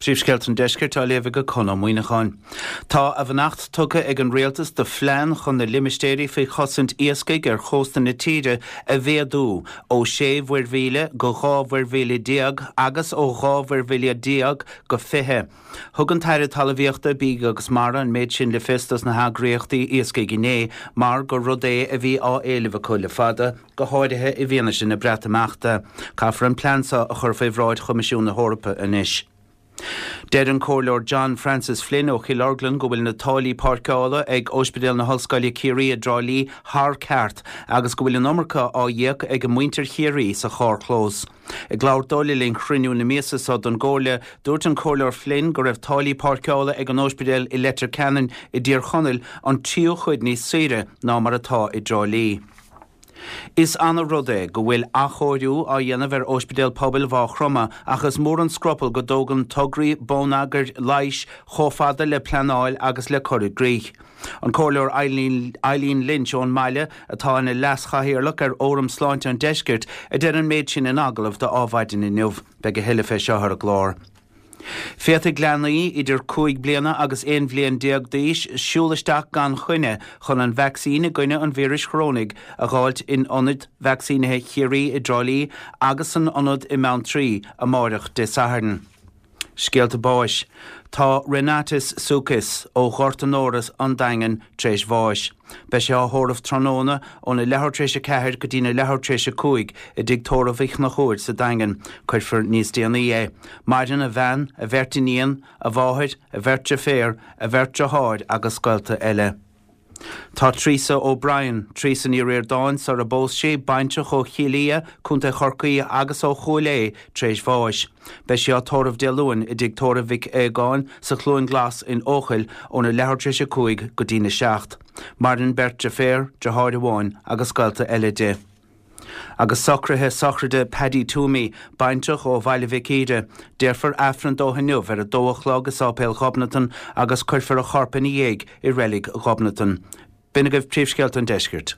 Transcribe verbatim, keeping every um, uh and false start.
Príomhscéalta an Deiscirt á léamh ag Conn Ó Muíneacháin. Tá a bheannacht tugtha ag an rialtas do phlean chun na limistéirí faoi chosaint iascaigh ar chósta na tíre a mhéadú ó sé mhuirmhíle go dhá mhuirmhíle déag agus ó dhá mhuirmhíle déag go fiche. Thug an tAire Talmhaíochta Bídh agus Mara an méid sin le fios dos na heagraíochtaí iascaigh inné mar gur rud é a bhí á éileamh acu le fada, go háirithe i bhfianaise na Breatimeachta. Caithfear an plean seo a chur faoi bhráid Choimisiún na hEorpa anois. Deir an Comhairleoir John Francis Flynn ó Chill Orglan go bhfuil na táillí páirceála ag Ospidéal na hOllscoile Ciarraí i dTrá Lí thar ceart agus go bhfuil an iomarca á íoc ag muintir Chiarraí sa charrchlós. Ag labhairt dó le linn chruinniú na míosa seo den gComhairle, dúirt an Comhairleoir Flynn go raibh táillí páirceála ag an Ospidéal i Leitir Ceanainn i dTír Chonaill an tríú cuid níos saoire ná mar atá i dTrá Lí. Is an-rud é go bhfuil athchóiriú á dhéanamh ar Ospidéal Pobail Mhaigh Chromtha ach is mór an scrupall go dtógann tograí bonneagair leighis chomh fada le pleanáil agus le cur i gcrích. An Comhairleoir Eileen, Eileen Lynch ón mbaile atá ina leas-chathaoirleach ar Fhóram Sláinte an Deiscirt a deir an méid sin in agallamh do Adhmhaidin inniu, beidh a thuilleadh fé seo ar an gclár. Féadfaidh leanaí idir cúig bliana agus aon bhliain déag d'aois siúl isteach gan choinne chun an vacsaín i gcoinne an víris chorónaigh a dh'fháilt in ionad vacsaínithe Chiarraí i dTrá Lí agus san ionad i mBeanntraí amárach Dé Sathairn. Scéalta báis. Tá Renatus Sucas ó Ghort an Óras an Daingean tar éis bháis. Beidh sé á thórramh tráthnóna óna leathuair tar éis a ceathair go dtína leathuair tar éis a cúig i dtigh tórraimh Uí Chonchúir sa Daingean. Cuirfear níos déanaí é. Maireann a bhean, a bheirt iníon, a mháthair, a bheirt deirféar, a bheirt deartháir agus gaolta eile. Tá Teresa O'Brien, Teresa Ní Ríordáin sar a bpós sí, baintreach ó Chill Fhia, Contae Chorcaí agus ó Chúil Aodha tar éis bháis. Beidh sí á tórramh Dé Luain i dtigh tórraimh Mhic Aogáin sa Chluain Glas in Eochaill óna leathuair tar éis a cúig go dtína seacht. Maireann beirt deirféar, deartháir amháin agus gaolta eile di. Agus socruithe sochraide Paddy Toomey, baintreach ó Bhaile Mhic Íre, déarfar Aifreann dó inniu ar a dó a chlog i Sáipéal Ghobnatan agus cuirfear a chorp ina dhiaidh i reilig Ghobnatan. B'in agaibh príomhscéalta an Deiscirt.